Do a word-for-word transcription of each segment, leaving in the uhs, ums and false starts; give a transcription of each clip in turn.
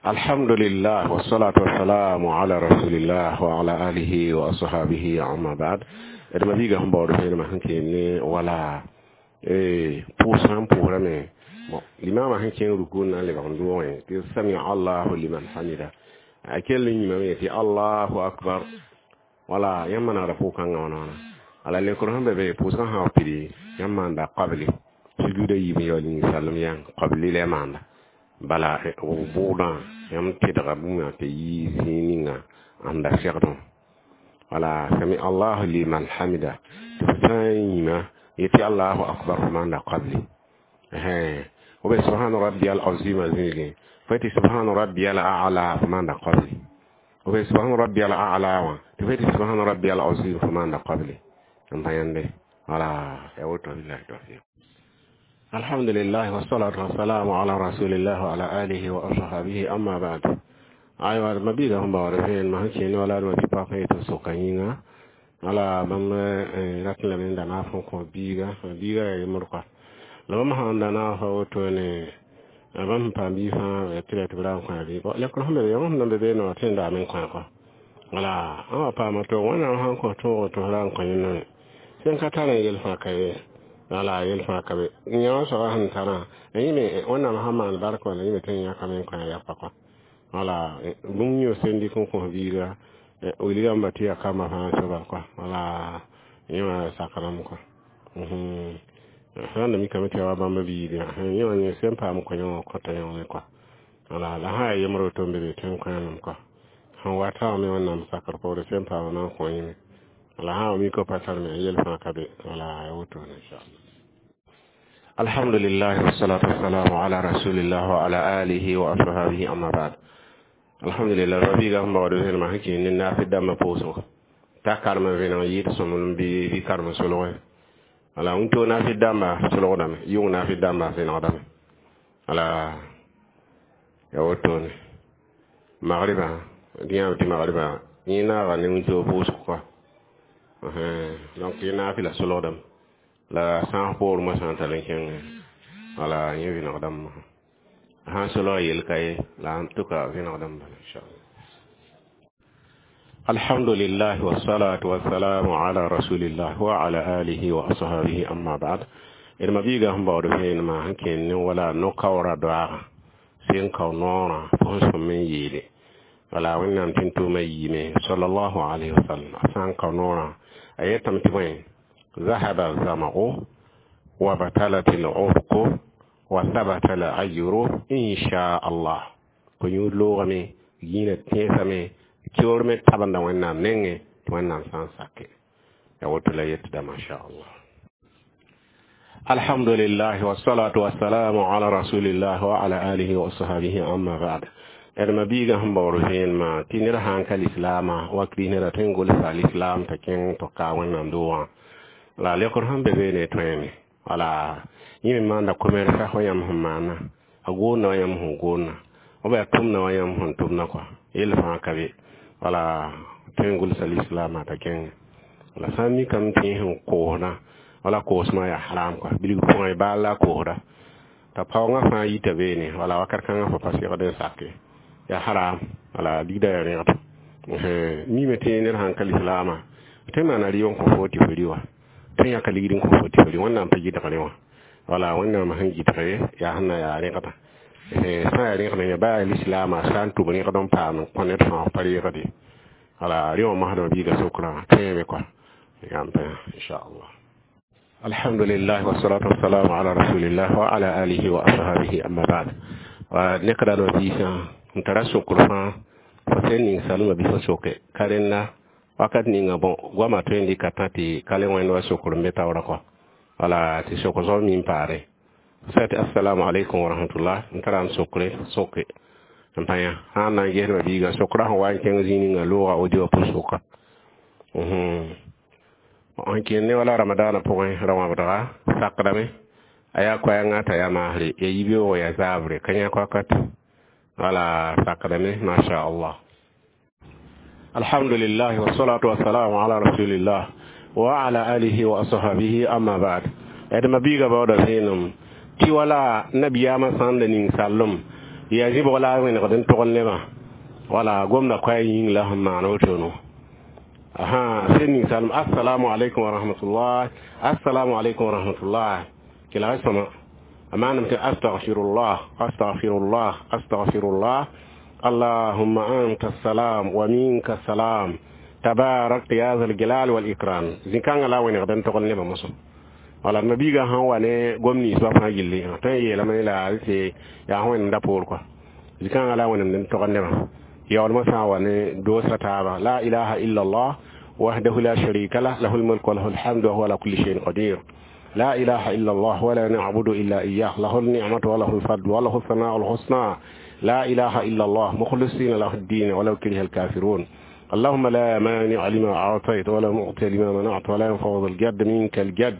Alhamdulillah, wassalatu wassalamu ala rasulillah wa ala alihi wa ashabihi, amma ba'd. D ma-biigã sẽn baood vẽenemã sẽn keen ne wala pʋʋs sã n pʋʋsrame, bon, limaamã sẽn kẽng ruku n na n lebg n doogẽ tɩ samia allahu liman hamida, a kell n yĩmame tɩ allahu akbar. Wala yãmb manegda pʋʋg-kãngã wãna wãna. Ala lekr sẽn be be pʋʋsgã sã wa pidi, yãmb maanda qabli sujuuda yiib n yaool yĩng-sallem yãng qabli la maanda. Bala bʋʋdã yãmb tɩdga bũmb tɩ yii zĩig ninga ãnda segdẽ. Wala sami allahu liman hamida tɩ f sã n yĩma yetɩ allahu akbar, f maanda qabli. B subhana rabbiyal azima zĩigẽ, fo tɩ subhana rabbiyal a'la, f maanda qabli. B subhana rabbiyal a'la wã tɩ fo tɩ subhana rabbiyal azim, f maanda qabli n pa yãnde. Wala ya woto. Billahi tawfiq. Alhamdulillah, wassalatu wassalamu ala rasulillah wa ala alihi wa ashabihi, amma ba'd. Aywa, mabiga sẽn baood vẽenemã sẽn kẽene wala d tɩ pak yetɩ soka yĩnga. Wala bãmb rat n lame n da naaf n kõ biiga, biiga yaa yembr kɔa. La bãmb sãn da naafa wotone, bãmb sẽn paam biig fãa tɩ la tɩ b ra n kõ bɩ lekr sẽn be yãmb sẽn na n be beene wã tõe n daame n kõ kɔa. Wala ã wa paama to Wẽnnaam sãn kõ tõog tɩ f ra n kõ yẽnda me sẽn ka tar n yel fãa ka ye. Wala yel fãa ka be yã wã soaba sẽn tarã yẽ me Wẽnnaam sãn maan barka wala yẽ me tõe n yãkame n kõ a yapa kɔa. Wala bũmb yõ sẽn dɩk n kõ biiga wilgãmba tɩ yaa kamba fãa soaba kɔa. Wala yẽ wã sakrame kɔa sã n da mikame tɩ yaa wa bãmb biigã yẽ wã yẽ sẽn paam kõ yẽ wã kõta yẽ me kɔa. Wala la sã yaa yembr woto n be be tõe n kõ yãmb kɔa sẽn wata wã me Wẽnnaam sakr poore sẽn paam na n kõ yẽ me. Wala sã wa mika pa tar me yel fãa ka be. Wala ya woto, inchallah. Alhamdulillah, wassalatu wassalamu ala rasulillah wa ala alihi wa ashabihi, amma ba'd. Alhamdulillah, rabiga sẽn baood vẽenemã sẽn kẽen ne naafɩ dãmbã pʋʋsgo t'a karem vẽneg yɩɩd sõmblem bɩ bɩ karem solge. Wala wĩntoog naafɩ dãmba solgdame, yʋng naafɩ dãmba vẽnegdame. Wala ya wotone magribã dĩ yãam tɩ magribã yẽ naaga ne wĩntoog pʋʋsg kɔa. Donc yẽ naafɩ la solgdame la sãas poor moasã n tall n kẽngẽ. Wala yẽ vẽnegdame sãn solg yel ka ye la en tout cas vẽnegdame bala, inchallah. Alhamdulillah, wassalatu wassalamu ala rasulillah wa ala alihi wa ashabihi, amma ba'd. D ma-biigã sẽn baood vẽenemã sẽn kẽen ne wala no-kaoorã doaagã sẽn kao noorã fo sẽn sõm n yeele. Wala Wẽnnaam tɩ n tʋʋmã yiime sallallahu alayhi wa sallam, a sã n kao noorã a yetame tɩ bõe: ذهب الظمأ وبتلت العرق وثبت الأجر إن شاء الله. Ko-yũud loogame, yĩnã tẽesame, keoor me tabenda Wẽnnaam nengẽ tɩ Wẽnnaam sã n sake ya woto la yetda, masha Allah. Alhamdulillah, wassalatu wassalamu ala rasulillah wa ala alihi wa ashabihi, amma ba'd. D ma-biigã sẽn baood vẽenemã tɩ ned sãn ka lislaamã wa kirist neda tõe n gʋlsa lislaam t'a kẽng tɩ ka Wẽnnaam doogã. La lekr sẽn be beene tõeme. Wala yẽ me maanda commerce wa yãmb sẽn maana, a goonna wa yãmb sẽn goonna, b yaa tʋmna wa yãmb sẽn tʋmna kɔa, yell fãa ka be. Wala tõe n gʋlsa lislaamã t'a kẽng. La sã n mikame tɩ yẽ sẽn koosdã, wala koosmã yaa haram kɔa, bilg pʋgẽ baal la a koosda t'a paoongã fãa yita beene. Wala wakat kãngã fo pa segd n sake yaa haram. Wala ligda yaa rẽgd mime tɩ ned sãn ka lislaamã tõe n maana rɩ n kõ fo tɩ fo rɩ wa, tõe n yãka ligd n kõ fo tɩ fo rɩ. Wẽnnaam pa gɩdgre wã. Wala Wẽnnaam sẽn gɩdge yaa sẽn na yaa rẽgda sã yaa rẽgd yã baa lislaamã sã n tʋb rẽgd n paam n kõ ned fãa pa reegde. Wala rẽ wã masdmã biiga sokrã tõeme kɔa yãmb pa, inchallah. Alhamdulillah, wassalatu wassalamu ala rasulillah wa ala alihi wa ashabihi, amma ba'd. Wa nekda no biisã n tara sokr fãa fo sẽn ning salmã bɩ fo soke ka rẽnda wakat ninga. Bõ goamã tõe n dɩka tã tɩ ka le wẽnd wa sokr n be taoorã kɔa. Wala tɩ sok zoab min paare sã tɩ assalamu alaikum wa rahmatullah. N tara n sokre soke n pa yã sã n na n gesma biiga sokra sẽn wa n kẽng zĩig ninga looga audio pʋ-soka n kẽen ne wala ramadaanã pʋgẽ ra-wãbdga sakdame a yaa koɛɛngã t'a yaa maasre ya yibeoogo ya zaabre ka yãk wakat. Wala sakdame, masha Allah. Alhamdulillah, wassalatu wassalamu ala rasulillah wa ala alihi wa ashabihi, amma ba'd. D ma biiga baooda vẽenem tɩ wala nabiyaamã sãn da ning sallem Ya zɩbg la a wẽnegd n togl nebã wala gomda koɛɛ yĩng la sẽn maan wotono aha sẽn ninsalem assalamu alaikum wa rahmatullah assalamu alaikum wa rahmatullah kelg sõma a maaname tɩ astaghfirullah astaghfirullah astaghfirullah allahumma anta salam wa minka salam tabarakta ya zal jalal wal ikram zĩ-kãngã la a wẽnegd n togl nebã mosã wala mabiiga sãn wa ne gom ninsbã fãa gilli tõe n yeelame la tɩ yaa wẽnem da poor kɔa zĩ-kãngã la a wẽnemd n togd nebã yaoolmã sã n wa ne doosã taaba la ilaha illa allah وحده لا شريك له له الملك وله الحمد وهو على كل شيء قدير لا إله إلا الله ولا نعبد إلا إياه له النعمة وله الفضل وله الثناء الحسنى لا إله إلا الله مخلصين له الدين ولو كره الكافرون اللهم لا مانع لما أعطيت ولا معطي لما منعت ولا ينفع ذا الجد منك الجد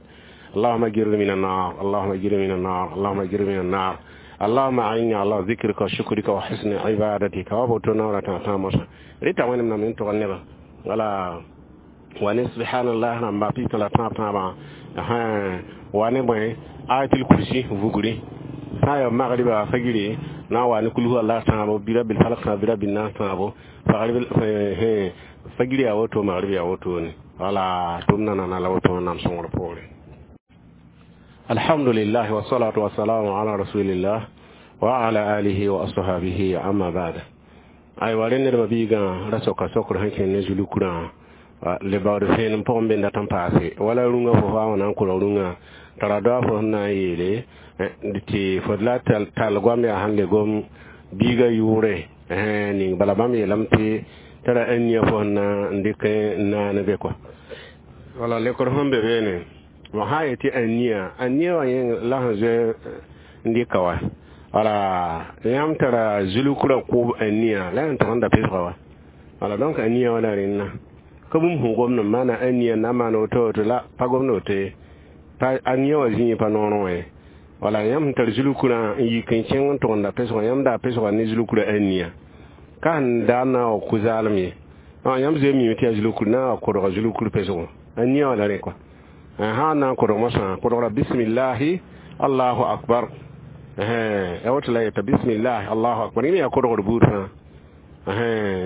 اللهم اجرني من النار اللهم اجرني من النار اللهم اجرني من النار اللهم أعني على ذكرك وشكرك وحسن عبادتك وبوتنا تامسا ريتا وين من تغني ولا wani subhanallah rãmba pita la tãab tãabã wa ne bõe ayatul kursi vugri sã n ya magriba fagre na n wa ne kul huwa tãabo bi rabil falak tãabo bi rabil nas tãabo fagr yaa woto magrib yaa wotone wala tʋm nanana la woto wẽnnaam sõngr poore alhamdulillah wasalatu wasalamu ala rasulillah wa ala alihi wa ashabihi amma ba'd aywa rẽ nedbã biigã ra soka sokr sẽn kẽnd ne zulukurã lebgd fẽen n pʋgẽ be dat n paase wala rũngã fo faa wã na n kolg rũngã tara doa fo sẽn na n yeele tɩ fo la tall goam yaa sẽn le gom biigã yʋʋre ning bala bãmb yeelame tɩ tara ania fo sẽn na n dɩk n naan be kɔa wala lekr sẽn be beene wa sã n yetɩ ania ania wã yẽ la sẽn zoe n dɩka wa wala yãmb tara zulkrã kʋʋb ania la yãmb tʋg n da pesga wa wala donc ania wã la rẽnna ka bũmb sẽn gomd n maana ania na n maan woto woto la pa gomd woto ye pa ania wã zĩig pa noorẽ wã ye wala yãmb sẽn tar zulkrã n yik n kẽng n tʋgemda pesgã yãmb daa pesgã ne zulkrã ania ka sẽn daa n na n wa kʋ zaalem ye yãmb zoe mime tɩ yaa zulkur na n wa kodga zulkur pesgõ ania wã la rẽ kɔa sã n na n kodg mosã kodgra bismillahi allahu akbar ya woto la yeta bismillahi allahu akbar yẽ me yaa kodgr buud fãa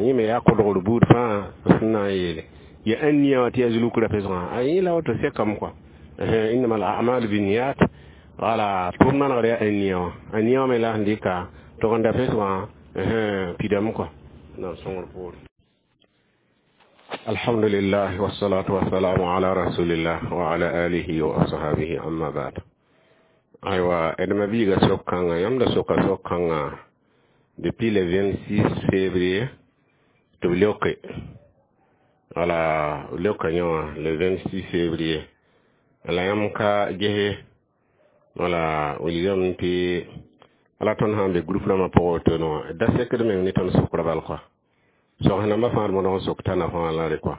yẽ me yaa kodgr buud fãa sẽn na n yeele ya ania wã tɩ yaa zulukra pesgã a yẽ la woto sekame kɔa innama al a'malu binniyat wala tʋʋm manegr yaa ania wã ania wã me la sẽn dɩka tʋgenda pesgã pidame kɔa naam sõngr poore alhamdulillah wassalatu wassalamu ala rasulillah wa ala alihi wa ashabihi amma ba'd aywa d mabiiga sok-kãngã yãmb da soka sok-kãngã depuis le vingt-six février tɩ b leoke wala b leoka yẽ wã le vingt-six février la yãmb ka gese wala wilgame tɩ wala tõnd sã n be groupe rãmbã pʋgã wotone wã da sekd meng ne tõnd sʋkrã bal kɔa sogs nambã fãa d modg n sok tãna fãa la re kɔa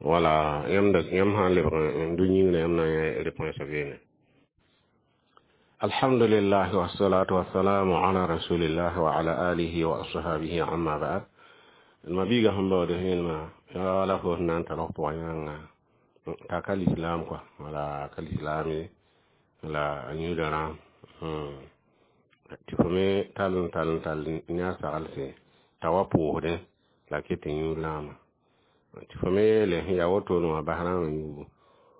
wala yãmb yãmb sã n lebg n du yĩngrã yãmb na n yã réponse beene alhamdulillah wassalatu wassalamu ala rasulillah wa ala alihi wa ashabihi amma ba'd mabiiga sẽn baood sẽnma wala fo sẽn na n tar f pʋgã yãnga t'a ka lislam kɔa wala ka lislaame la a yũuda rãam tɩ fo me tall n tall n tall ne a saglse t'a wa pʋʋsdẽ la ket n yũud rãamã tɩ fo me yeele sẽn yaa wotone wã bas rãamã yuubu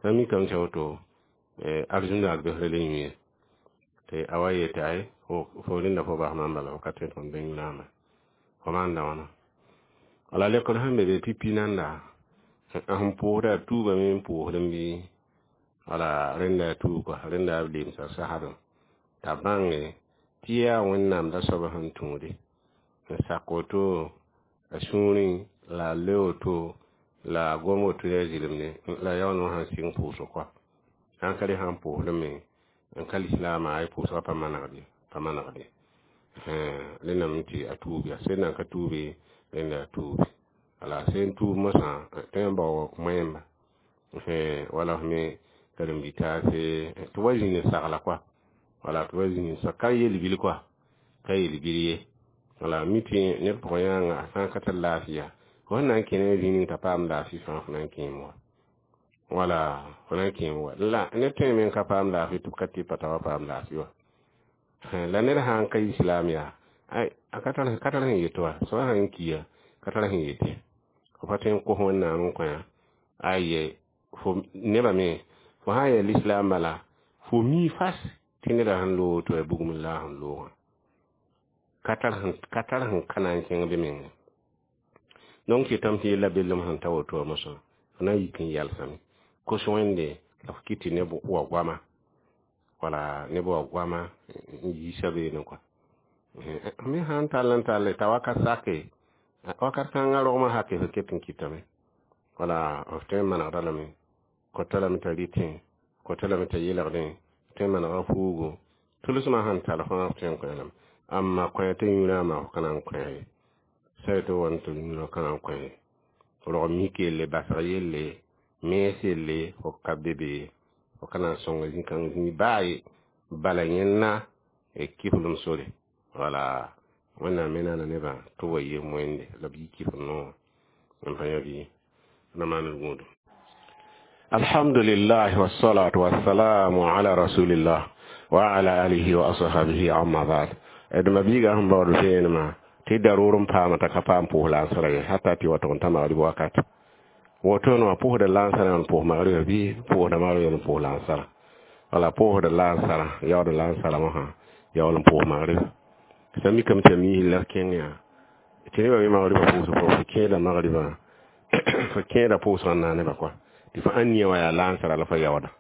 sã mikame tɩ woto arzũndaag besrã le yũ ye tɩ a wa yetɩ ay fo rẽnda fo bas maam bala fo ka tõe tɩ fõn be yũ rãamã fo maanda wãna wala lekr sẽn be be pipi nanda sẽn pʋʋsda a tuubame n pʋʋsdẽ bɩ wala rẽnda a tuub kɔa rẽnda b lemsa sasadẽ t'a bãnge tɩ yaa wẽnnaam da soab sẽn tũude n sak woto a sũurẽ la a le woto la a gom woto yaa zɩlemde la yaool wã sãn sɩng pʋʋsg kɔa sãn ka re sãn pʋʋsdẽ me n ka lislaamã ay pʋʋsgã pa manegde pa manegde rẽndame tɩ a tuub yaa sẽn na n ka tuube rẽnda a tuube wala sẽn tuub mosã tõe n bao moẽmba wala f me karen-bi-taase tɩ wa zĩnd n sagla kɔa wala tɩ wa zĩnd n sag ka yel-bil kɔa ka yel-bil ye wala mi tɩ ned pʋgã yãnga a sã n ka tar laafɩ fo sẽn na n kẽ ne zĩig ning t'a paam laafɩ fãa fo na n kẽem wa wala fo na n kẽem wa la ned tõe me n ka paam laafɩ tɩ b ka tɩ pa t'a wa paam laafɩ wa la ned sã n ka islam yaa Ay a ka tar ka tar sẽn yet wa soaba sãn kiya ka tar sẽn yet ye fo pa tõe n kos Wẽnnaam n kõ aye fo nebã me fo sã n yaa lislaam bala fo mi fas tɩ neda sẽn loog tɩ wa bugum la a sẽn loogã ka tar ka tar sẽn ka na n kẽng be mengẽ donc yetame tɩ yella bellem sẽn ta woto wã mosã fo na n yik n yalsame kos Wẽnde la fo kɩt tɩ neb wa goama wala neb wa goama n yiisa beene kɔa me sãn tall n tall t'a wakat sake wakat kãngã rogmã sake fo ket n kɩtame wala f tõe n manegda lame kota lame t'a rɩtẽ kota lame t'a yelgdẽ tõe n manega fuugo tʋlsmã sẽn tall fãa f tõe n kõ lame amma kõ tɩ yũrã ma f ka na n kõ ye sã tɩ wa tɩ yũrã ka na n kõ ye rog mik yelle basg yelle mens yelle fo ka be be fo ka na n sõng zĩ-kãng zĩig baa ye bala yẽnna kiflem sore wala Wẽnnaam me naana nebã tɩ b wa yem Wẽnde la b yi kifl noogã n pa yã bɩ na maan d gũudum. Alhamdulillah wassalatu wassalamu ala rasulillah wa ala alihi wa ashabihi amma ba'd. D ma biiga sẽn baood vẽenemã tɩ daroor n paama t'a ka paam pʋʋs lansra ye hata tɩ wa tʋg n ta magrib wakat woto wã pʋʋsda lansara n pʋʋs magribã bɩ pʋʋsda magribã n pʋʋs lansara wala pʋʋsda lansara yaood lansara mosã yaool n pʋʋs magrib sã mikame tɩ ya miis la kẽng yaa tɩ nebã me magribã pʋʋsg pʋgẽ fo kẽeda magribã fo kẽeda pʋʋsg n na nebã kɔa tɩ fo ãn nia wã yaa lansara la fo yaooda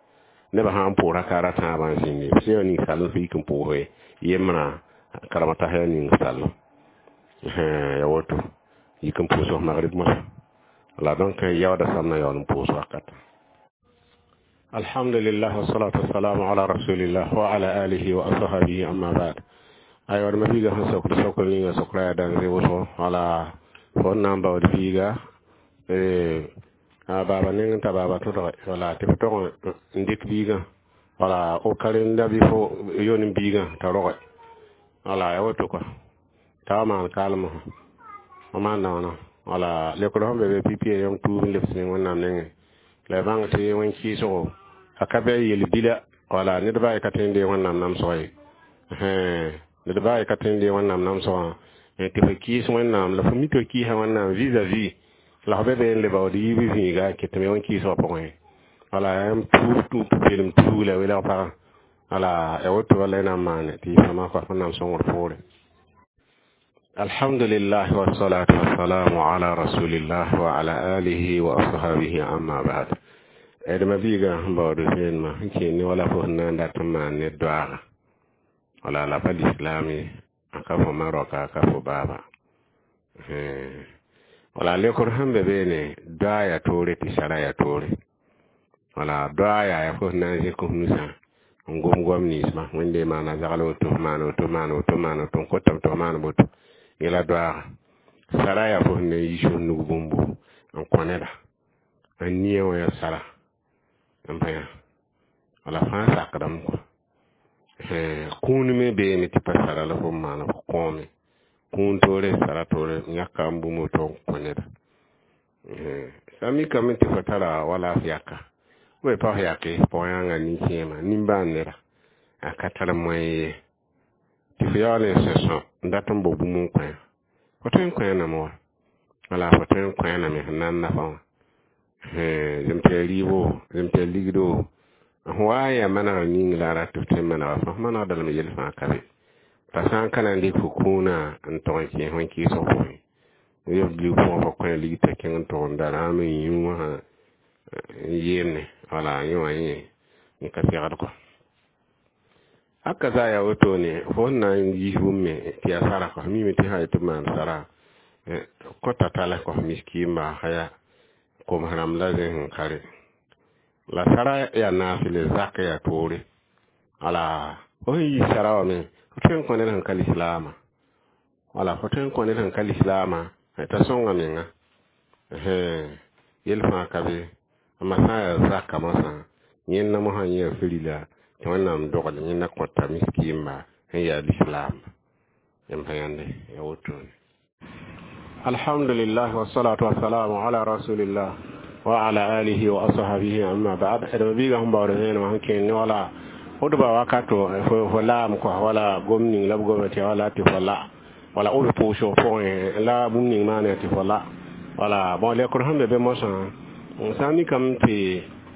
nebã sã n pʋʋs raka ra tãabã n zĩndi f sẽn ning sall fo yik n pʋʋse yembrã karema tasa yaa ning sall ya woto yik n pʋʋs f magrib mosã wala donc yaooda sam na yaool n pʋʋs wakat. Alhamdulillah wassalatu wassalamu ala rasulillah wa ala alihi wa ashabihi amma ba'd. Aywa ma biiga sẽn sokd sokr ninga sokra yaa dãn wʋsgo wala fo n na n baood biiga a baaba neng n ta baaba tõdge wala tɩ f tog n dɩk biigã wala o karenda bɩ fo yon biigã t'a roge wala ya woto kɔa t'a wa maan kaalem fo maanda wãna wala lekr sẽn be be pipi yõng tuub n lebs ne Wẽnnaam nengẽ la y bãng tɩ wẽn kɩɩsgo a ka bɩ yel-bila wala ned baa ka tõe n deeg Wẽnnaam namsg ye ned baa ka tõe n deeg Wẽnnaam namsgã tɩ fo kɩɩs Wẽnnaam la fo mi tɩ fo kɩɩsa Wẽnnaam vis-à-vis la fo be be n le baood yiib vĩiga n kɩtame wẽn kɩɩsgã pʋgẽ wala yaa n puur pʋ-peelem tuug la welg pagã wala ya woto wala y na n maane tɩ yɩ fãma kɔa Wẽnnaam sõngr poore. Alhamdulillah wassalatu wassalamu ala rasulillah wa ala alihi wa ashabihi amma ba'd. D ma biiga sẽn baood vẽenemã sẽn kẽer ne wala fo sẽn na n dat n maan ne doaaga wala la pa lislaam ye a ka fo ma roka a ka fo baaba wala lekr sẽn be beene doa yaa toore tɩ sara yaa toore wala doa yaa ya fo sẽn na n zẽk f nusã n gom goam ninsbã Wẽnde maana zagl woto maan woto maan woto maan woto n kotame tɩ f maan woto yẽla doaaga sara yaa fo sẽn na n yiis f nug bũmbu n kõ neda n nia wã yaa sara n pa yã wala fãa sakdame kɔa kũun me beeme tɩ pa sara la fo n maana fo kõome kũun toore sara toore yãka n bũmb woto n kõ neda sã n mikame tɩ fo tara wala f yaka b pa f yake pʋgã nin-kẽema nimbãan neda a ka tar moyen ye tɩ fo yaool n sẽ sõ n dat n bao bũmb n kõ fo tõe n kõ name wa wala fo tõe n kõ name sẽn na n nafa wã zem tɩ yaa rɩɩbo zem tɩ yaa ligdo f wa n yaa manegr ning la a rat tɩ f tõe n manega fãa f manegda lame yell fãa ka be t'a sã n ka na n dɩk fo kũunã n tog n kẽes wẽn kɩɩsg pʋgẽ yeb lig pʋgẽ fo kõ lig t'a kẽng n tog n da rãam n yũ wã n yeemne wala yẽ wã yẽ n ka segd kɔa haka za yaa wotone fo sẽn na n yiis bũmb me tɩ yaa sara kɔa mime tɩ sã tɩ b maan sara kõta tala kɔs miskiimba ya koms rãmb la zẽ sẽn ka re la sara yaa naasle zak yaa toore wala fo sẽn yiis sara wã me fo tõe n kõ ned sẽn ka lislaamã wala fo tõe n kõ ned sẽn ka lislaamã t'a sõnga menga yel fãa ka be amma sã n yaa zaka mosã yẽnna mosã yẽ yaa firila tɩ Wẽnnaam dogl yẽnna kõta miskiimba sẽn yaa lislaamba yãmb pa yãnde ya wotone. Alhamdulillah wassalatu wassalamu ala rasulillah wa ala alihi wa ashabihi amma ba'd. D ma biiga sẽn baood vẽenemã sẽn kẽer ne wala hudba wakato fo laam kɔa wala gom ning la b goma tɩ wala tɩ fo la Wala b pʋʋsg pʋgẽ la bũmb ning maana tɩ fo la. Wala bon lekr sẽn be be mosã sã n mikame tɩ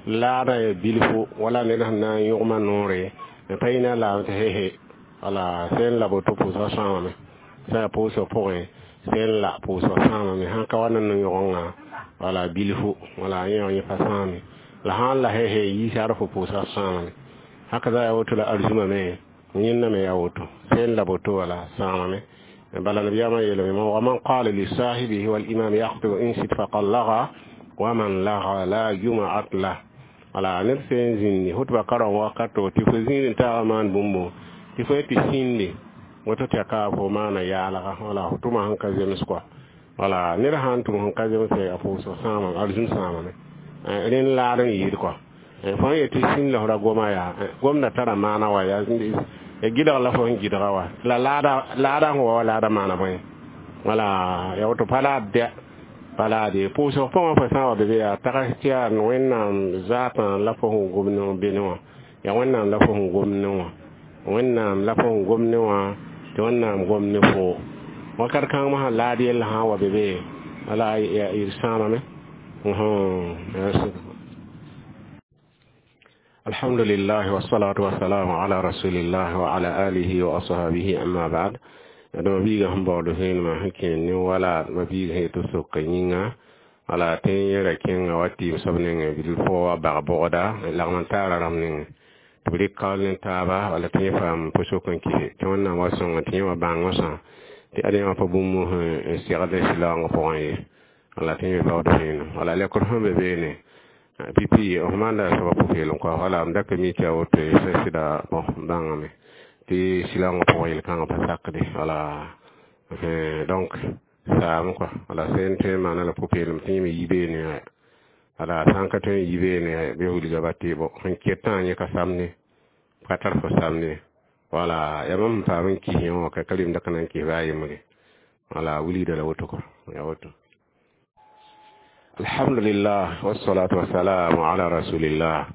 laadã ya bilfu wala ned sẽn na n yõgma noore pa yĩna laam tɩ he wala sẽn la boto pʋʋsgã sãamame sã yaa pʋʋsg pʋgẽ sẽn la pʋʋsg sãamame sãn ka wa ne no-yõgenga wala bilfu wala yẽ yẽ pa sãame la sãn la he he yiisar fo pʋʋsgã sãamame haka za ya woto la arzuma me yẽnna me ya woto sẽn la boto wala sãamame bala nabiyama yeelame ومن قال لصاحبه والإمام يخطب انصت فقد لغا ومن لغا لا جمعة له wala ned sẽn zĩndi hutba kareng wakato tɩ fo zĩig n taag maan bũmbo tɩ fo tɩ sĩndi woto tɩ ya ka fo maana yaalga wala fo tʋma sẽn ka zems kɔa wala ned sãn tʋm sẽn ka zemse a pʋʋsg sãamame arzũm sãamame rẽnd laad n yɩɩd kɔa fo n yetɩ sĩnd la f ra goma yaa gomda tara maana wa yaa gɩdg la fo sẽn gɩdga wa la laada sẽn wa wa laada maana bõe wala ya woto pa laad dɛ pa laade pʋʋsg pʋgẽ fo sã n wa be be yaa tags tɩ yaa wẽnnaam zaatã la fo sẽn gom ne bene wã yaa wẽnnaam la fo sẽn gom ne wã wẽnnaam la fo sẽn gom ne wã tɩ wẽnnaam gom ne fo wakat kãng mosã laad yell sã n wa be be wala d sãamame الحمد لله والصلاة والسلام على رسول الله وعلى آله وأصحابه أما بعد d mabiiga sẽn baood vẽenemã sẽn kẽer ne wala mabiiga sẽn yetɩ sok yĩnga wala tẽ yẽra kẽnga wa tɩɩm soab nengẽ bilf wa bag bogda lagm n taara rãmb nengẽ tɩ b rɩk kaool ne taaba wala tɩ yẽ paam pʋsok n kɩse tɩ wẽnnaam wa sõnga tɩ yẽ wa bãng sã tɩ ad yẽ wã pa bũmb n segd silaoongã pʋgẽ ye wala tɩ yẽ baood vẽenem wala lekr sẽn be beene pipi f maanda soaba pʋ-peelem kɔa wala m da ka mi tɩ a woto sɩda bõ bãngame tɩ silaoongã pʋgẽ yel-kãngã pa sakde wala donc saam kɔa wala sẽn tõe n maana la pʋ-peelem tɩ yẽ me yi beene wala sã n ka tõe n yi beene bɩ wilga ba tɩ bõ sẽn ketã yẽ ka samne ka tar fo samne wala yaa mam sẽn paam n kis yẽ wã ka ka remda ka na n kis baa yembre wala wilgda la woto kɔ ya woto الحمد لله والصلاة والسلام على رسول الله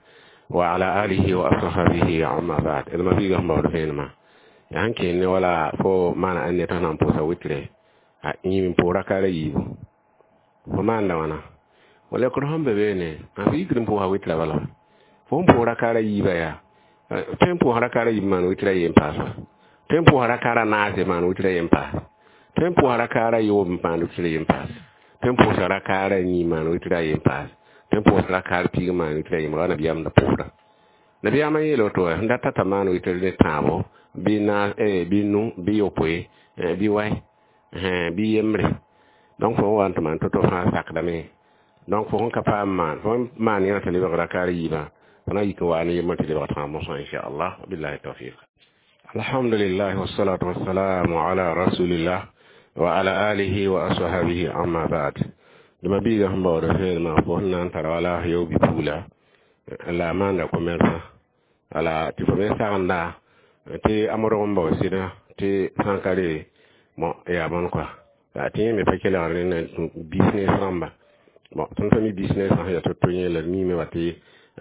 وعلى آله وأصحابه أما بعد إذا ما بيجا هم بعد ما يعني كأني ولا فو ما أنا أني تنا بوسا ويتري يمين بورا كاري يبو فما عندنا وانا ولا كرهم ببينه أنا بيجرم بوها ويتري ولا فهم بورا كاري يبا يا تيم بوها كاري يبا man ويتري يم باس تيم بوها كارا ناس man ويتري يم باس تيم بوها كارا يوم man ويتري يم باس tõe n pʋʋsg rakaarã yĩig maan witra yen paas tõe n pʋʋsg rakaar piig maan witra yembr wa nabiyaam da pʋʋsda nabiyaamã yeela woto wa sẽn data t'a maan witr ne tãabo bɩ na bɩ nu bɩ yopoe bɩ wai bɩ yembre donc fo wa n tɩ maan to-to fãa sakdame donc fo sẽn ka paam maan fo maan yã tɩ lebg rakaar yiibã fo na yik n wa ne yembr tɩ lebg tãag mosã inchallah billahi tawfiq alhamdulillah wassalatu wassalamu ala rasulillah وعلى آله وأصحابه أما بعد لما بيغا هم باور فين ما فو نان ترى ولا يو بيبولا لا ما ندا كوميرسا ala tɩ fo me sagenda tɩ a modg n bao sɩda tɩ sã n ka re bon yaa bõn kɔa la tɩ yẽ me pa kelgr ne business rãmba bon tõnd pa mi business sã sẽn yaa to-to yẽ la d miime wa tɩ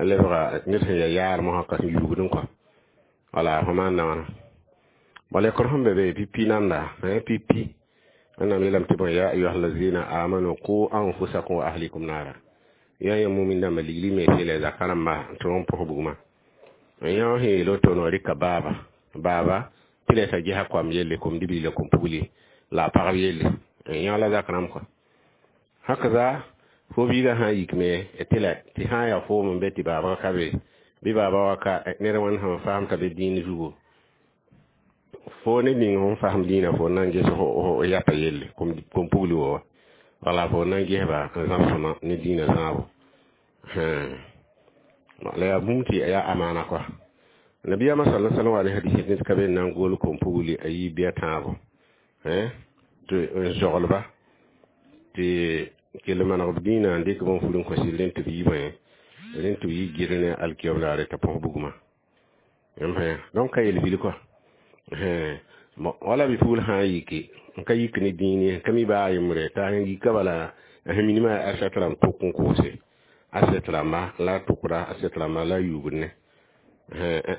lebga ned sẽn yaa yaar mosã ka sẽn yuugdẽ kɔa wala fo maanda wãna bala lekr sẽn be be pipi nanda pipi wẽnnaam yeelame tɩ bõe ya ayuha allazina amanu qu anfusakum wa ahlikum nara ya ya mumin dãmba ligli me tɩ la zaka rãmba tɩ n pʋs bugmã yã sẽn yeel woto no rɩka baaba baaba tɩ la t'a gesa koam yelle kom-dibli la kom-pugli la a pagb yelle yã la zak rãmb kɔa hakaza fo biigã sã n yikme tɩ la tɩ sã n yaa foom n be tɩ baabga ka be bɩ baaba wa ka ned wãn sẽn faam t'a be dĩin zugu fo ne ning sẽn fasem dĩinã fo na n ges yapa yelle kom-pugli wa wala fo na n gesba n zãmsẽma ne dĩinã zãabo la yaa bũmb tɩ yaa amaana kɔa nabiyaamã sala sallam wa ne hadis ned ka be n na n gol kom-pugli a yiib bɩ a tãabo tɩ n zoglba tɩ kell maneg b dĩinã n dɩk bõn fur n kõs rẽnd tɩ b yi bõe rẽnd tɩ b yi gɩr ne alkiyob laare t'a põs bugmã donc ka yel-vil kɔa wala bɩ-pugl sã n yiki n ka yik ne dĩin ka mi baa yembre t'a sẽn yika bala sẽn minimã yaa aset rãmb tʋk n koose aset rãmba la a tʋkra aset rãmba la a yuugd ne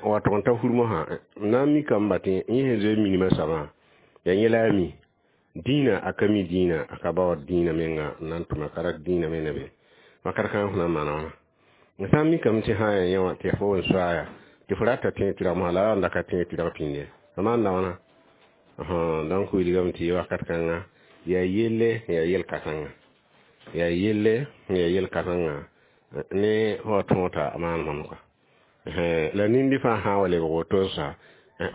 wa tʋg n ta fur mosã na n mikame ba tɩ yẽ sẽn zoe minimã soabã yaa yẽ la a mi Dĩinã a ka mi dĩinã, a ka baood dĩinã menga n na n tʋma ka rat dĩinã me ne be wakat kãng fo na n maana wãna. N sã n mikame tɩ sã n yaa yẽ wã tɩ fo n soaaya tɩ fo rata tẽeg tɩrg mosã la a n da ka tẽeg tɩrg pĩnd ye, fo maanda wãna? Donc wilgame tɩ wakat kãnga yaa yelle, yaa yel-kãsengã, yaa yelle, yaa yel-kãsengã ne fo tõog t'a maan bãmb kɔa. La nindi fãa sã n wa lebg woto sa,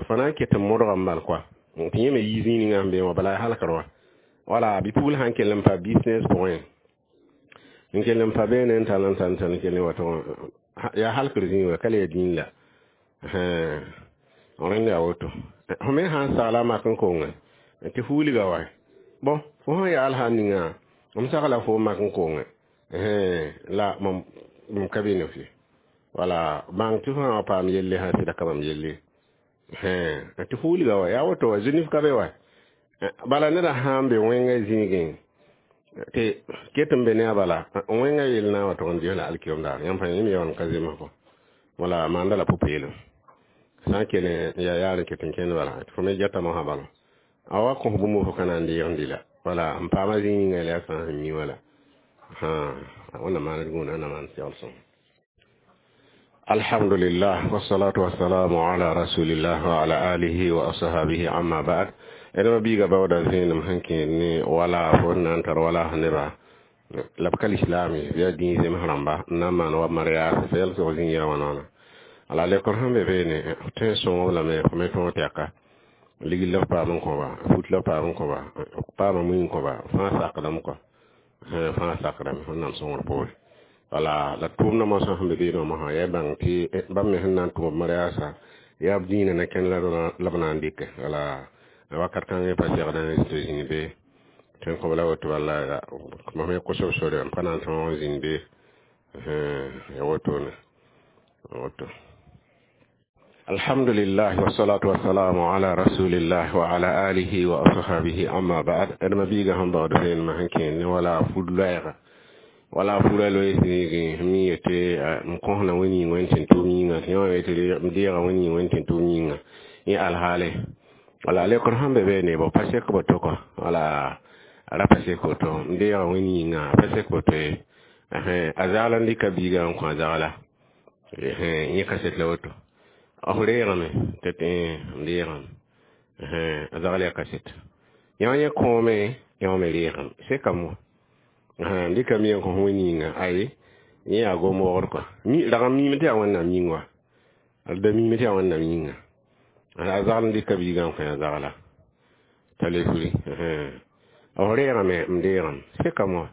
fo na n ket n modgame bal kɔa tɩ yẽ me yi zĩig ninga sẽn be wã, bala halkr wã. Wala bi-pugl sãn kell n pa business pʋgẽ, n kell n pa beene n tall n tall n tall n kell n wa tʋg yaa halkr zĩig wã, ka le ya dĩin la. Rẽnd yaa woto. Fo me sã n sagla a mak n konge tɩ fuuliga wa, bõ fo sẽn yaal sã n ninga m sagla fo mak n konge la mam ka be ne f ye. Wala bãng tɩ fo sã wa paam yelle sã sɩda ka mam yelle tɩ fuuliga wa, yaa woto wa, zũnif ka be wa. Bala neda sã n be wẽngã zĩigẽ tɩ ket n be ne a bala wẽngã yell na n wa tʋg n ges la alkiyom daar yãmb fãa yẽ me yaool n ka zems kɔ. Wala maanda la pʋ-peelem sã n kell n yaa yaar n ket n kẽnd bala tɩ fo me geta mosã bala a wa kõs bũmb fo ka na n deeg n dɩ la. Wala n paama zĩig ninga la yaa fãa sẽn mi wala wẽnnaam maan d gũuda, wẽnnaam maan segl sõngo. Alhamdulillah, wassalatu wassalamu ala rasulillah wa ala alihi wa ashabihi, amma ba'd. Ẽdma biiga baooda zẽenem sẽn kẽed ne wala fo sẽn na n tar wala neba la b ka lislaam ye, yaa dĩig zems rãmba n na n maan wa mariage fa yɛl sog zĩig yaa wãna wãna. Ala lekr sẽn be beene f tõe n sõng lame, fo me tõog tɛka ligd la f paam n kõba, fut la f paam n kõba, f paama mui n kõba, fãa sakdame kɔa, fãa sakdame. Wẽnnaam sõngr poore. Wala la tʋʋmdã mosã sẽn be beene wã mosã yaa bãng tɩ bãmb me sẽn na n tʋm b mariaasã yaa b dĩinã na kẽnd la b na n dɩke. Wala wakat kãngã pa segd n tɩ zĩnd be tõe n kõb la woto, bala mam me kos b sore n pa na n tõog n zĩnd be ya wotone woto. Alhamdulillah, wassalatu wassalamu ala rasulillah wa ala alihi wa ashabihi, amma ba'd. Ãdma biiga sẽn baood vẽenemã sẽn kẽed ne wala fud loɛɛga, wala fura loe zĩigẽ mi yetɩ m kõsna wẽn yĩng wẽn tẽn tʋʋm yĩnga tɩ yẽ wã yetɩ m deega wẽn yĩng wẽn tẽn tʋʋm yĩnga yẽ alhaale. Wala lekr sẽn be beene bõ pa sek woto kɔ, wala ra pa sek woto m deega wẽn yĩnga, a pa sek woto ye. A zagl n dɩka biiga n kõ a zagla yẽ kaset la woto f reegame tɩ tɩ m deegame a zagl yaa kaset yã yẽ kõome, yã me reegame sekame wã n dɩka mi n kõ wẽn yĩnga aye yẽ yaa gom wogd kɔa rag n miime tɩ yaa Wẽnnaam yĩng wa, d da miime tɩ yaa Wẽnnaam yĩnga. A zagl n dɩka biiga n kõ a zagla t'a le furi f reegame m deegame sekame wã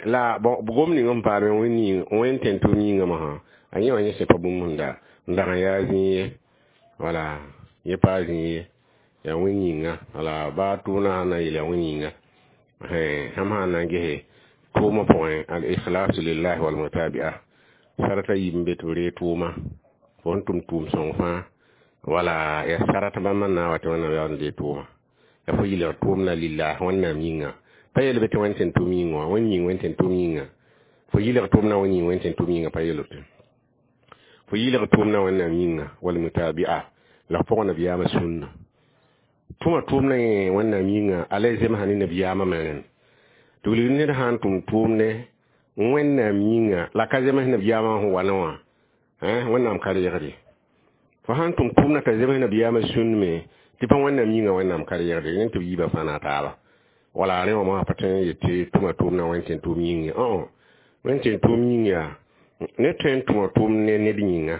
la gom ning n paame wẽn tẽn tʋʋm yĩnga mosã a yẽ wã yẽ sẽn pa bũmb sẽn da n dag n yaa zĩig ye, wala yẽ paa zĩig ye, yaa wẽn yĩnga. Wala baa tʋʋmdã sãn na n yeel yaa wẽn yĩnga sãmb sã n na n gese tʋʋmã pʋgẽ al ikhlasu lillahi wal mutabi'a sarata yiib n be tɩ b ree tʋʋma fo sẽn tʋm tʋʋm sõng fãa, wala yaa sarat bãmb n na n wa tɩ Wẽnnaam yaool n dee tʋʋma la fo yɩlg tʋʋmda lillah Wẽnnaam yĩnga, pa yel be tɩ wẽn tẽn tʋʋm yĩnga wã wẽn yĩng wẽn tẽn tʋʋm yĩnga fo yɩlg tʋʋmdã wẽn yĩng wẽn tẽn tʋʋm yĩnga, pa yel woto fo yɩlg tʋʋmdã Wẽnnaam yĩnga wal mutabi'a la f pʋgã nabiyaamã sũnna tʋma tʋʋmdã yẽ Wẽnnaam yĩnga a la zemsa ne nabiyaamã me rẽnd tɩ wilg ned sã n tʋm tʋʋmdẽ Wẽnnaam yĩnga la ka zems nabiyaamã sẽn wa ne wã, Wẽnnaam ka reegde. Fo sã n tʋm tʋʋmdã t'a zems nabiyaamã sũnd me tɩ pa Wẽnnaam yĩnga, Wẽnnaam ka reegde rẽnd tɩ b yiibã fãa na taaba. Wala rẽ wã mosã pa tõe n yet tɩ tʋma tʋʋmdã wẽn tẽn tʋʋm yĩng ye, wẽn tẽn tʋʋm yĩng yaa ned tõe n tʋma tʋʋm ne ned yĩnga,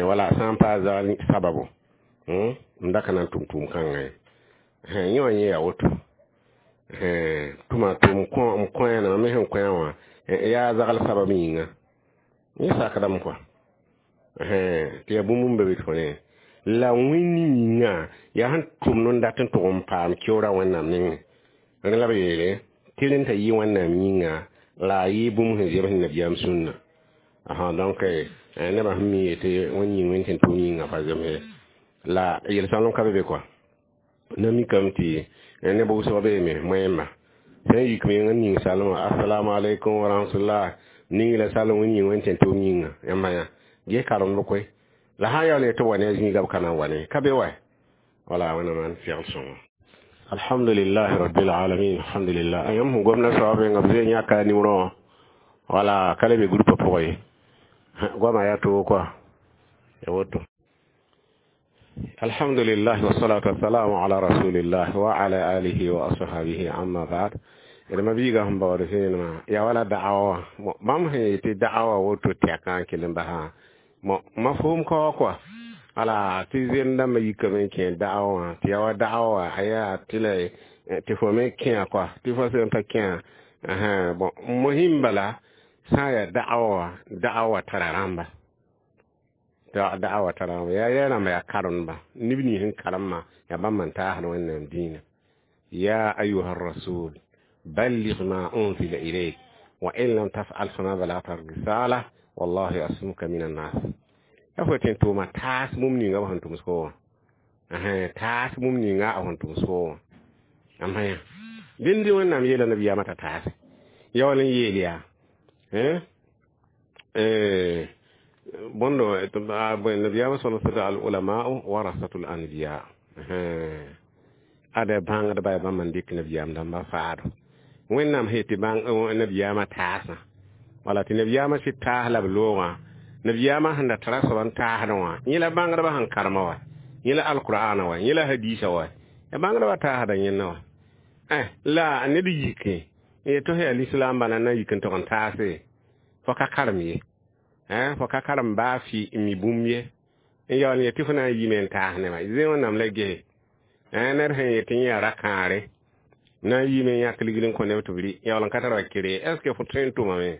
wala sã n paa zagl sababo n da ka na n tʋm tʋʋm kãngã ye. Yẽ wã yẽ yaa woto tʋma tʋm m kõ me sẽn kõ wã yaa zagl sabab yĩnga yẽ sakdame kɔa tɩ yaa bũmb n be be tɩ fo ne la wẽnd yĩnga yaa sẽn tʋmd n dat n tʋg n paam keoora Wẽnnaam nengẽ. Rẽ la b yeele tɩ rẽnd t'a yɩ Wẽnnaam yĩnga la a yɩ bũmb sẽn zems nabiyaam sũnna. Donc nebã sẽn mi yetɩ wẽnd yĩng wẽn tẽn tʋʋm yĩnga pa zems la yel-sõlem ka be be kɔa. Na mikame tɩ neb wʋsg beeme moẽmba sẽn yik meng n ning salmã assalamu alaikum wa rahmatullah ning la salm wẽn yĩng wẽn tẽn tʋʋm yĩnga yãmba yã ges karemd koe la sã n yaool n yetɩ b wa ne a zĩiga b ka na n wa ne ka be wa. Wala Wẽnnaam maan segl sõngo. Alhamdulillah rabbil alamin, alhamdulillah. Yãmb sẽn gomda soab menga b zoe yãka a nimrõ wã wala ka le be groupe pʋgẽ ye. Goamã yaa toog koa ya woto. Alhamdulillah, wassalatu wassalamu ala rasulillah wa ala alihi wa ashabihi, amma ba'd. D ma biiga sẽn baood vẽenemã yaa wala da'awa wã. Bãmb sẽn yetɩ da'awa woto tɛkã n kell n basã mafhum kaoa koa wala tɩ zend dãmbã yikame n kẽ da'awa wã tɩ yaa wa da'awa wã a yaa tɩ la tɩ fo me kẽa koa tɩ fo sẽn pa kẽa. Bon, mohim bala sã n yaa da'awa wã, da'awa tara rãmba, da'awa tara rãmba, yaa yaa rãmba yaa karemba, neb nins sẽn karemã yaa bãmb n taasd Wẽnnaam dĩinã. Ya ayuha rasul balligh ma unzila ilayk wa in lam taf'al fama balagta risala wallahu yasmuka min annas. Ya fo tɩ n tʋʋma taas bũmb ninga b sẽn tʋms fo wã, taas bũmb ninga a sẽn tʋms fo wã. Ãmba yã dẽnd Wẽnnaam yeela nabiyaamã t'a taase ya wall n yeel yaa bõndo nabiyaamã sal al ulamau warasatul anbiya. Ada bãngdba yaa bãmb n dɩk nabiyaam dãmbã faado. Wẽnnaam sẽn yetɩ nabiyaamã taasã wala tɩ nabiyaamã sɩd taas la b loogã, nabiyaamã sẽn da tara soab n taasdẽ wã yẽ la bãngdbã sẽn karema wa, yẽ la alqur'ana wa, yẽ la hadisa wa, ya bãngdbã taasda yẽnna wa. La ned yike n yet tɩ f yaa lislaam bala na yik n tog n taase fo ka karem ye, fo ka karem baa fɩ n mi bũmb ye n yaool n yet tɩ fo na n yime n taas nebã zẽ Wẽnnaam la gese. Ned sẽn yet tɩ yẽ yaa ra-kãare na n yiime n yãk ligl n kõ neb tɩ b rɩ yaool n ka tar wa kere, est ce que fo tõe n tʋmame?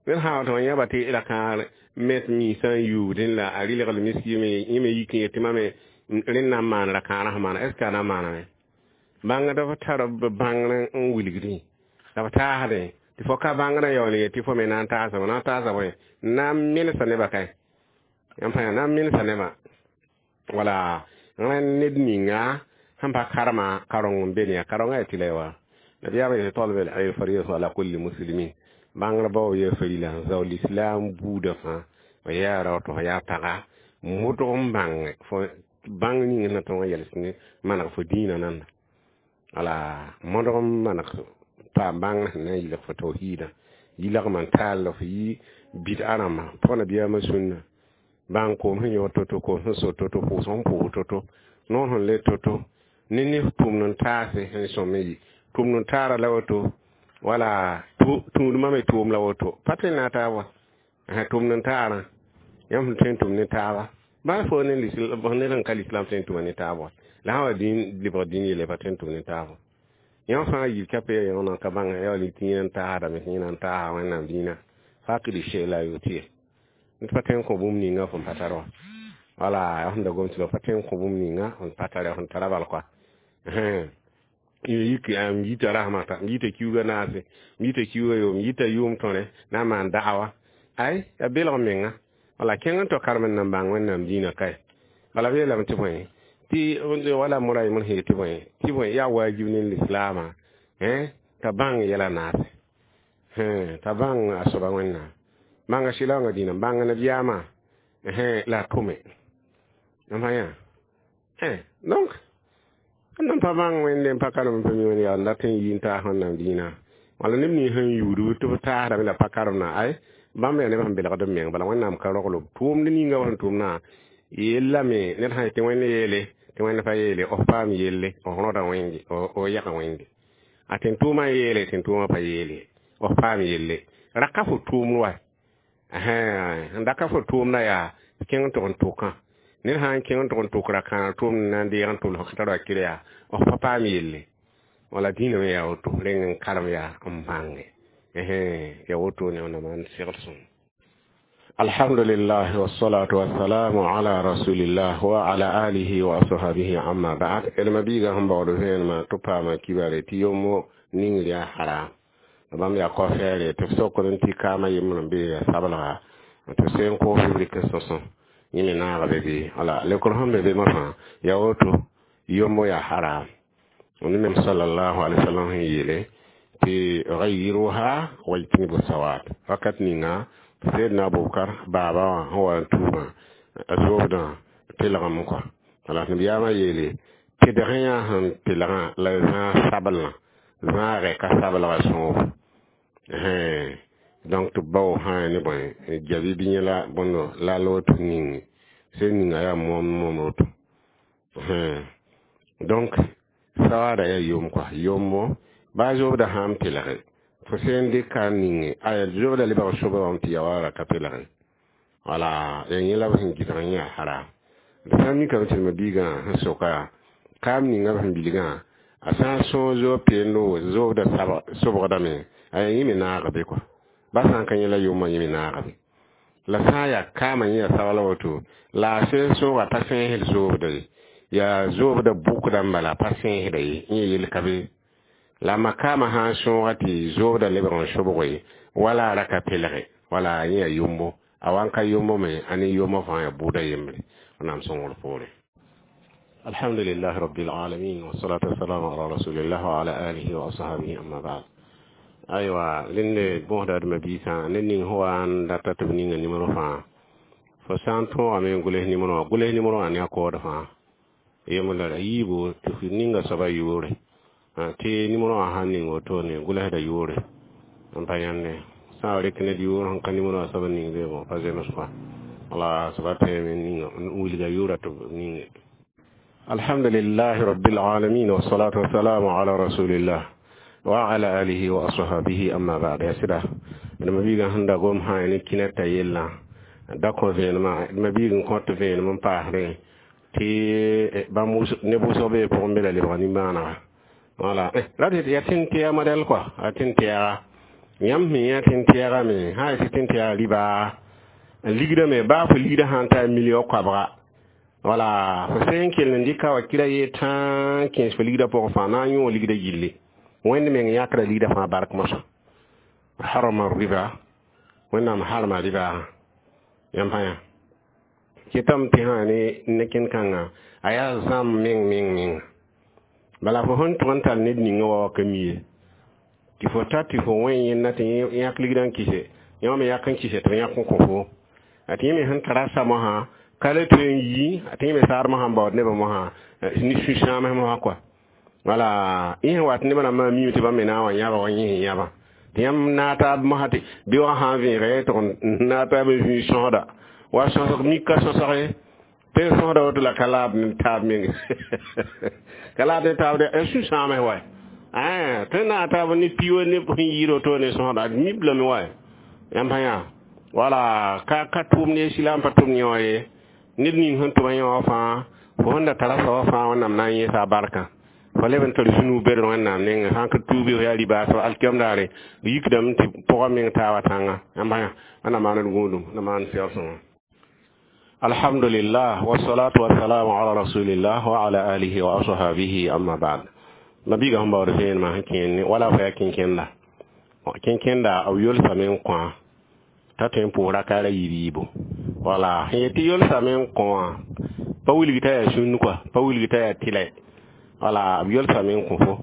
Ned sã n wa yãba tɩ ra-kãar met miisã n yuubdẽ la a rɩlgl miskime yẽ me yik n yet tɩ mame rẽnd na n maan ra-kãarã sẽn maana, est ce que a na n maaname? Bãngd b tar b bãngr n wilgdẽ la b taasdẽ tɩ fo ka bãngrã yaool n yet tɩ fo me na n taasa na n taasa bõe na n mensa nebã kae yãmb fãa na n mensa nebã wala rẽnd ned ninga sẽn pa karema kareng n be ne ya karengã yaa tɩ la wa nabiyaamã yetɩ talb el fariidatu ala kulli muslimin. Bãngr bao yaa farila zao lislaam buudã fãa f yaa rao tɩ f yaa paga modg n bãng fo bãng ning sẽn na tõog n yɛls ne maneg fo dĩinã nanda wala modg n maneg paam bãngr sẽn na n yɩlg fo tawhiidã yɩlgmã n taal f yɩ bid'a rãmbã pʋg nabiyaamã sũnna bãng koom sẽn yõod to-to, koom sẽn so to-to, pʋʋs sẽn pʋʋs to-to, noor sẽn le to-to ne ne tʋʋmd n taase sẽn sõm n yɩ tʋʋmd n taara la woto wala tũudmã me tʋʋm la woto pa tõe n na taab wa tʋʋmd n taarã yãmb sẽn tõe n tʋm ne taaba baa fo ne ned sẽn ka lislam tõe n tʋma ne taab wa la sã wa lebg dĩn yelle pa tõe n tʋm ne taab wa. Yãmb fãa yil ka pe yã ka bãng ya wall tɩ yẽna n taasdame tɩ yẽna n taasa Wẽnnaam dĩinã fakd shay la yutie ned pa tõe n kõ bũmb ninga fõn pa tar wa wala sẽn da gom tɩ la pa tõe n kõ bũmb ninga fõn pa tara fõn tara bal koa yik n yita rasmata n yita kiuga naase n yita kiuga yoom n yita yʋʋm tõre na n maan da'awa ay ya belg menga wala kẽng n tao karem n nan bãng Wẽnnaam dĩinã kae bala b yeelame tɩ bõe tɩ wala mora yembr sẽn yet tɩ bõe tɩ bõe yaa wajib ne lislaamã t'a bãng yɛla naase t'a bãng a soaba Wẽnnaam bãnga sɩlaoongã dĩinã bãng nabiyaamã la a tʋme ãmba yã. Donc n pa bãng Wẽnde n pa karem n pa mi wẽnd yaa n dat n yi n taas Wẽnnaam dĩinã wala neb nins sẽn yuudb tɩ b taasdame la pa karemdã ay bãmb yaa neb sẽn belgd b meng bala Wẽnnaam ka rogl b tʋʋmd ninga b sẽn tʋmdã yellame ned sã yetɩ Wẽnd yeele tɩ Wẽnd pa yeele f paam yelle f rõda wẽnde f yɛga wẽnde a tɩ n tʋʋmã yeele tɩ n tʋʋmã pa yeele f paam yelle raka fo tʋʋmd wa n daka fo tʋʋmdã yaa kẽng n tʋg n tʋkã ned sã n kẽng n tʋg n tʋk ra-kãag tʋʋmd na n deeg n tʋls f ka tar wa kɩr yaa f pa paam yelle wala dĩinã me yaa woto reng n karem yaa n bãnge ya woto ne wẽnnaam n segl sõm. Alhamdulillah, wassalatu wassalamu ala rasulillah wa ala alihi wa ashabihi, amma ba'd. Elma biiga sẽn baood vẽenemã tɩ paama kibare tɩ yombo ning yaa haram bãmb yaa kao-fɛɛre tɩ b sokd n tɩ kaamã yembr n be yaa sablga tɩ b sẽn koos b rɩk n sõsõ yẽ me naaga be bɩ wala lekr sẽn be be fãa yaa woto yombo yaa haram. Wẽnnaam sallallahu alaihi wasallam sẽn yeele tɩ gayiruha wajtanibu sawad wakat ninga Seydina Abubakar baaba wã sẽn wa n tuumã a soobdã telgame kɔa wala nabiyaamã yeele Tɩdg yã sẽn pelgã la zãag sablã zãagɛ ka sablga sõob donc tɩ bao sã ne bõe jabi bɩ yẽ la bõndo la woto ning sẽn ninga yaa moom moom woto donc sawaada yaa yom kɔa yombo baa zoobda sãn pelge fo sẽn dɩka n ninge aya zoobda lebg sobã wã tɩ ya wa ra ka pelge wala ya yẽ la b sẽn gɩdg n yaa haram d sã n mikame tɩ mabiigã sẽn soka kaam ninga b sẽn bilgã a sã n sõog zoob peendo zoobda sobgdame aya yẽ me naag be kɔa ba sã n ka yẽ la yomã yẽ me naag be la sã n yaa kaamã yẽ yaa sabl woto la a sẽn sõoga pa sẽesd zoobda ye yaa zoobda bʋkda n bala pa sẽesda ye yẽ yel ka be la makaamã sã n sõoga tɩ zoobda lebg n sobg ye wala a ra ka pelge wala yẽ yaa yombo a wa n ka yombo me a ne yomã fãa yaa bʋʋda yembre wẽnnaam sõngr poore الحمد لله رب العالمين والصلاة والسلام على رسول الله وعلى آله وأصحابه أما بعد aywa rẽnd bõsda d mabiisã ned ning sẽn wa n data tɩ b ninga nimero fãa fo sã n tõogame n gʋls nimero wã gʋls nimero wã ne a kood fãa yembr la yiibu tɩ f ninga soaba yʋʋre tɩ nimero wã sãn ning wotone gʋlsda yʋʋre n pa yãnde sã n rek ned yʋʋr sẽn ka nimero wã soab n ning be bõ pa zems kɔa wala soaba tõeme ninga n wilga yʋʋra tɩ b ninge الحمد لله رب العالمين والصلاة والسلام على رسول الله وعلى آله وأصحابه أما بعد يا سيدا ma biiga sẽn da gom sã ne kĩna t'a yellã da kõ vẽenemã d ma biig n kõt vẽenem n paasdẽ tɩ bãmb ne wʋsg bee pʋgẽ be la lebg nimbãanega wala ra tɩ yaa tẽn-tɛɛg modɛl kɔa a tẽn-tɛɛga yãmb sẽn yã tẽn-tɛɛga me sã n tɩ tẽn-tɛɛga rɩba n ligdame baa fo ligdã sã n ta million koabga wala fo sẽn kell n dɩka wa kɩra yee tãa kẽes fo ligdã pʋgẽ fãa na n yõ ligdã yille wẽnd meng yãkra ligdã fãa bark mosã harama riba wẽnnaam harma rɩba yãmb fãa yã kɩtame tɩ sã ne ne kẽn-kãngã a yaa zãm meng meng meng bala fo sẽn tʋg n tar ned ninga wa wa ka mi ye tɩ fo ta tɩ fo wẽ yẽnda tɩ yãk ligdã n kɩse yã me yak n kɩse tɩ b yãk n kõ fo a tɩ yẽ me sẽn tara sa mosã ka le tõe n yi a tɩ yẽ me saad mosã n baood nebã mosã ne sũ-sãams mosã kɔa wala yẽ sẽn wat nebã rãmbã miime tɩ bãmb me na n wa yãba wa yẽ sẽn yãbã tɩ yãmb naag taab mosã tɩ bɩ wã sã n vẽege tɩg n naag taab n zũi sõsda wa sõsg mika sõsge tɩ sõsda woto la ka laab ne taab meng ka laab ne taab de sũ-sãams wa tɩ naag taab ne piwa ne sẽn yɩɩd woto ne sõsda mib lame wa yãmb sã yã wala ka ka tʋʋm ne silaam pa tʋm yẽ wã ye ned ning sẽn tʋma yẽ wã fãa fo sẽn da tara soaba fãa wẽnnaam na n yẽesa a barkã fo leb n tar sũ-nuug bed wẽnnaam nengẽ sã n ka tuubi fo yaa ribaasb alkiam daare yikdame tɩ pʋgã meng taaba tãnga yãmb sã yã wẽnnaam maan d gũudum na maan sɛoor sõnga الحمد لله والصلاة والسلام على رسول الله وعلى آله وأصحابه أما بعد mabiiga sẽn baood vẽenemã sẽn kẽen wala fo yaa kẽnkẽnda kẽnkẽnda b yolsame n kõ t'a tõe n pʋʋs rakaara yiib yiibo wala sẽn yet tɩ yolsame n kõ wã pa wilg t'a yaa sũnn kɔa pa wilg t'a yaa tɩlɛ wala b yolsame n kõ fo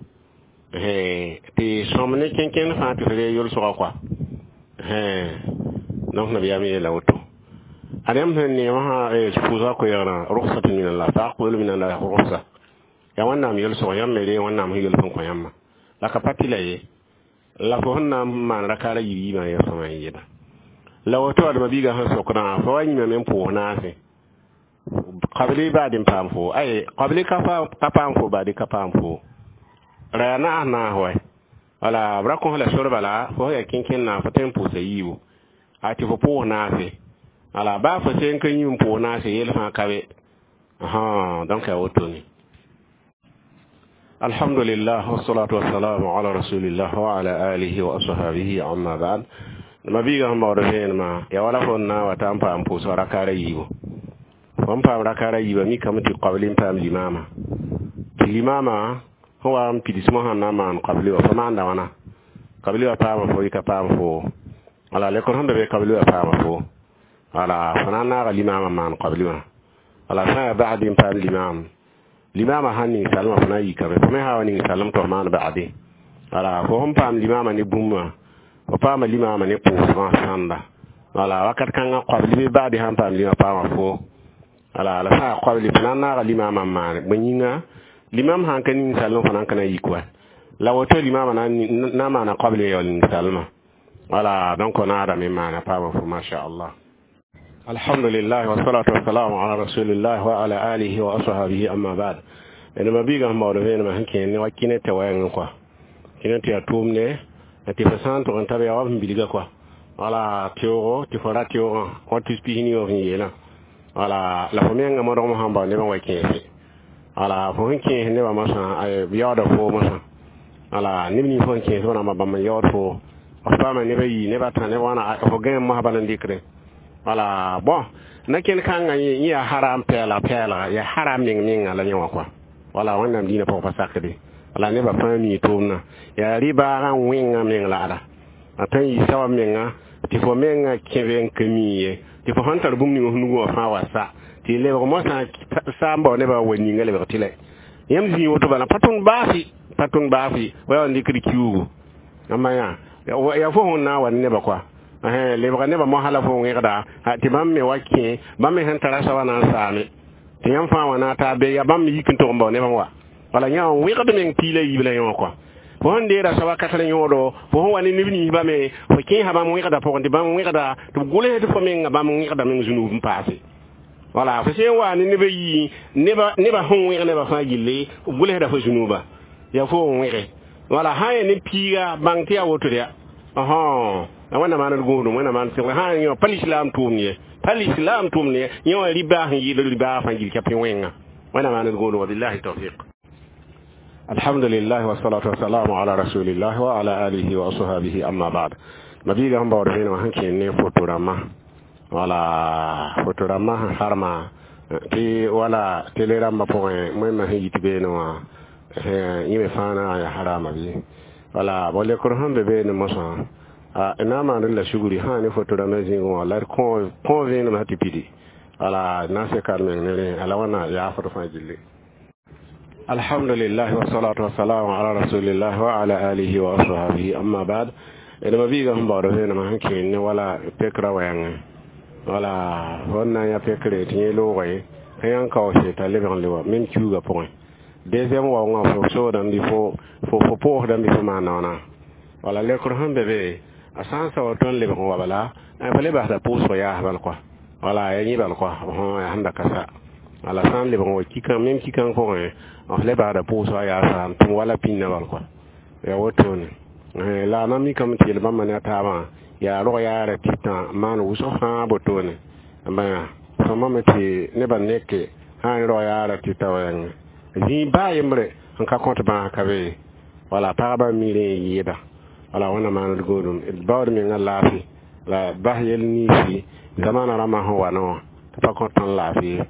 tɩ sõm ne kẽnkẽnd fãa tɩ f ree yolsgã kɔa donc nabiyaam yeela woto ad yãmb sẽn neemã sã pʋʋsga koɛɛgrã rugsat min Allah faqbulu min Allah rugsa yaa wẽnnaam yolsg yãmb me ree wẽnnaam sẽn yols n kõ yãmbã la ka pa tɩla ye la fo sẽn na n maan rakaara yiib yiibã yaa sõma n yɩɩda la woto ad mabiigã sẽn sokdã fo wa yĩmame n pʋʋs naase qabli baad n paam fo ay qabli ka paam fo baadi ka paam fo ra yaa naas naas wa wala b ra kõs la sor bala fo yaa kẽnkẽn fo tõe n pʋʋsa yiibu a tɩ fo pʋʋs naase wala baa fo sẽn ka yĩm pʋʋs naase yel fãa ka be donc yaa wotone الحمد لله والصلاة والسلام على رسول الله وعلى آله وأصحابه أما بعد ma biiga sẽn baood vẽenemã yaa wala fo n na n wa t'a n paam pʋʋsg rakaara yiibu fo n paam rakaara yiibã mikame tɩ qabli n paam limaamã tɩ limaamã sẽn wa n pids mosã n na n maan qabli wã fo maanda wãna qabli wã paama fo yɩ ka paam fo wala lekr sẽn da be qabli wã paama fo wala fo na n naaga limaamã maan qabli wã wala sã n yaa ba'di n paam limaam limaamã sãn ning salmã fo na n yikame fo me sã wa ning salem tɩ f maan ba'di wala fo sẽn paam limaamã ne bũmb wã fo paama limaamã ne pʋʋsgã sãnda wala wakat kãngã qabli bɩ ba'di sãn paam lima paama fo wala la sã n yaa qabli fo na n naaga limaamã n maane bõe yĩnga Limam sãn ka ninsalem fo na n ka na yik wa la woto limama na na maana qabl yaool ninsalmã. Wala, donc naadame maana paama fo, masha Allah. Alhamdulillah, wassalatu wassalamu ala rasulillah wa ala alihi wa ashabihi, amma ba'd. Ene ma biiga sẽn baood vẽenemã sẽn kẽer ne wa kɩnɛ tɩ wɛɛngẽ kɔa kɩnɛ tɩ yaa tʋʋmdɛ tɩ fo sã n tʋg n ta b yaa wa sẽn bilga kɔa. Wala teoogo tɩ fo ra teoogã wa tus pis ni wã sẽn yeelã. Wala la fo mengã modgm sãn bao nebã wa kẽese. Wala fo sẽn kẽes nebã mosã yaooda foo mosã. Wala neb nins fo sẽn kẽes wãnama bãmb n yaood foo f paama neb a yi neb a tã neb wãna fo gãe mosã bala n dɩkre. Wala bon na kẽnd kãngã yẽ yaa haram pɛɛlg pɛɛlga yaa haram meng menga la yẽ wã kɔa. Wala Wẽnnaam dĩinã pʋgã pa sakde. Wala nebã fãa mii tʋʋmdã yaa rɩ-baagã wẽngã meng laada a tõe n yɩ sawa menga tɩ fo menga kẽbe n ka mii ye tɩ fo sẽn tar bũmb ning f nugẽ wã fãa wa sa tɩ lebg mosã sa n bao nebã wa ninga lebg tɩ lɛ yãmb zĩig woto bala pa tõnd baasi pa tõnd baasi wa yaa n dɩkd kiuugu ãmba yã yaa fo sẽn na n wa ne nebã kɔa lebga nebã mosã la fo wẽgda tɩ bãmb me wa kẽ bãmb me sẽn tara soaba na n saame tɩ yãmb fãa wã na taa be yaa bãmb me yik n tog n bao nebã wa. Wala yã wẽgd meng piila yiib la yẽ wã kɔa fo sẽn deera soaba kasr yõodo fo sẽn wa ne neb ninsbã me fo kẽesa bãmb wẽgda pʋgẽ tɩ bãmb wẽgda tɩ b gʋls tɩ fo menga bãmb wẽgda meng zũnub n paase. Wala fo sẽn wa ne neb a yii nebã sẽn wẽg nebã fãa gilli b gʋlsda fo zũnuba yaa fo n wẽge. Wala sã n yaa ne piiga bãng tɩ yaa woto yaa la Wẽnnaam maan d gũudum Wẽnnaam maan sɩg sã n yõ pa lislaam tʋʋmd ye pa lislaam tʋʋmd ye yẽ wã rɩ-baas n yɩɩd rɩ-baag fãa gill ka pẽ wẽnga. Wẽnnaam maan d gũudum. Wabillahi tawfiq. Alhamdulillah, wassalatu wassalamu ala rasulillah wa ala alihi wa ashabihi, amma ba'd. Ma biiga sẽn baood vẽenemã sẽn kẽer ne foto rãmbã. Wala foto rãmbã sẽn harma tɩ wala tele rãmbã pʋgẽ wẽnnaam sẽn yit beene wã yẽ me fãa na n yaa harama bɩ. Wala bo lekr sẽn be beene mosã na n maand la sugri sã ne foto rãmbã zĩigẽ wã la d kõ vẽenemã tɩ pidi. Wala na n seka d meng ne rẽ ala wãnna yaafd fãa gilli. Alhamdulillah, wassalatu wassalamu ala rasulillah wa ala alihi wa ashabihi, amma ba'd. Ene ma biiga sẽn baood vẽenemã sẽn kẽer ne wala pekra wɛɛngẽ. Wala fõn na n yaa pekre tɩ yẽ loogã ye sẽn yã n kaoose t'a lebg n le wa mem kiuugã pʋgẽ. Deuxième waoongã fo soodame bɩ fo fo pʋʋsdame bɩ fo maan naoona. Wala lekr sẽn be be a sã n sao tõnd lebg n wa bala fo le basda pʋʋsg yaas bal kɔa. Wala ya yẽ bal kɔa yaa sẽn da ka sa. Wala sã n lebg n wa kikã mem kikã pʋgẽ f le basda pʋʋsga yaasa n tʋm wala pĩndã bal kɔa yaa wotone la a na mikame tɩ yel bãmba ne a taabã yaa rog yaara tɩ tã maan wʋsg fãa botone bã sõma me tɩ nebã neke sã n rog yaara tɩ ta wɛɛngẽ zĩig baa yembre n ka kõt bãas ka be. Wala pagba mi rẽ n yɩɩda. Wala Wẽnnaam maan d gũudum d baood menga laafɩ la bas yel niisi zamana rãmbã sẽn wa ne wã tɩ pa kõt tõnd laafɩ ye.